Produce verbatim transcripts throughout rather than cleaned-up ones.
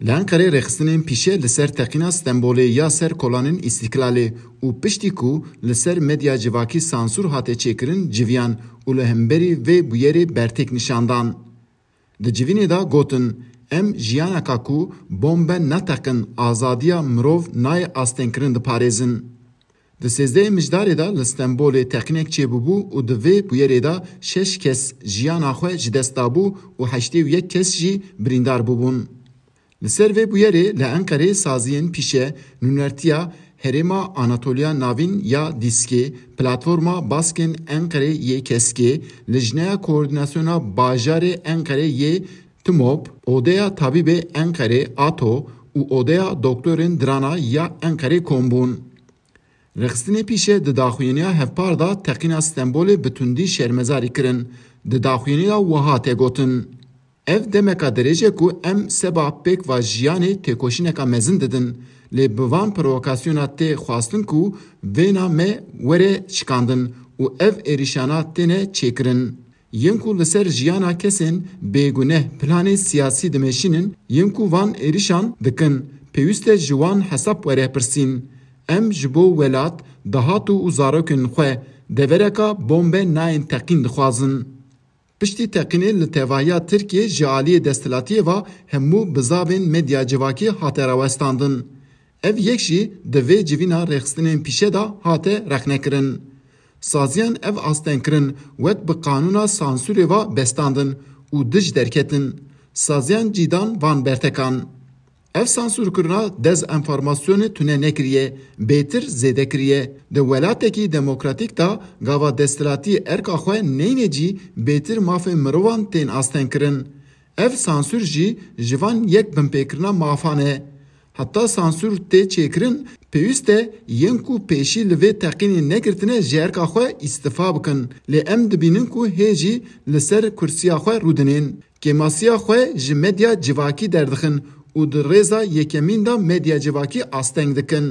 Li Enqerê rêxistinên pîşe li ser teqîna Stenbolê ya ser kolanên Îstîklalê û piştî ku li ser medya civakî sansûr hate çêkirin civiyan û li hemberî vê bûyerê bertêk nîşan dan. Di civînê de gotin, em jiyaneka ku bombe neteqin, azadiya mirov nayê astengkirin diparêzin. Di sêzdehê Mijdarê de li Stenbolê teqînek çêbûbû û di vê bûyerê de şeş kes jiyana xwe ji dest dabû û heştê û yek kes jî birîndar bûbûn. Li ser vê bûyerê li Enqerê saziyên pîşe nûnertiya Herêma Anatoliya Navîn ya Dîskê, Platforma Baskên Enqerê yê Keskê, Lijneya Koordînasyona Bajarê Enqerê yê TMOB, Odeya Tabîbê Enqerê, ATO, û Odeya Doktorên Dirana ya Enqerê kom bûn. Rêxistinê pîşe di daxuyaniya hevpar de teqîna Stenbolê bi tundî şermezarî kirin. Di daxuyaniya wiha tê gotin, ev demeka dirêj e ku em seba pêk va jiyanê têkoşîneka mezin didin, lê bi van provokasyona tê xwestin ku vêna me were şikandin û ev êrîşana têne çêkirin. Yên ku li ser jiyana kesên bêguneh planê siyasî dimeşînin, yên ku van êrîşan dikin, pêwîst e ji wan hesab were pirsîn. Em ji bo welat, dahat û zarokên xwe devereka bombe nayên teqîn dixwazin. Piştî teqînê li tevahiya Tirkiyê ji aliyê desthilatiyê ve hemû bizavên medya civakî hate rawestandin. Ev yek jî di vê civîna rêxistinên pîşe de hate rexnekirin. Saziyan ev astengkirin wek bi qanûna sansûrê ve bestandin û dij derketin. Saziyan cî dan van bertekan. Ev sansûrkirina dezenformasyonê tune nekiriye, bêtir zêde kiriye. Di welatekî demokratîk de gava desthilatî erka xwe neyne cî bêtir mafên mirovan tên astengkirin. Ev sansûr jî ji van yek binpêkirina mafan e. Heta sansûr tê çêkirin, pêwîst e yên ku pêşî li vê teqînê negirtine ji erka xwe îstifa bikin. Lê em dibînin ku hê jî li ser kursiya xwe rûdinên. Kêmasiya xwe ji medya civakî derdixin û di rêza yekemîn de medya civakî asteng dikin.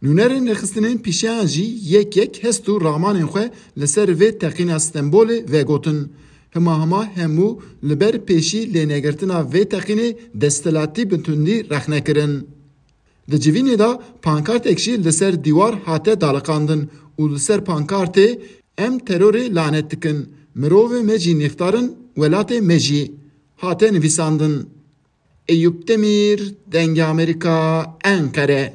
Nûnerên rêxistinên pîşeyan jî yek yek hest û ramanên xwe li ser vê teqîna Stenbolê vegotin. Hima hima hemû li ber pêşî lênegirtina vê teqînê desthilatî bi tundî rexne kirin. Di civînê de pankartek jî li ser dîwar hate daliqandin û li ser pankartê, "Em terorê lanet dikin, mirovê me jî nîxtar in, welatê me jî" hate nivîsandin. Eyûp Demîr, Dengê Amerîka, Enqere.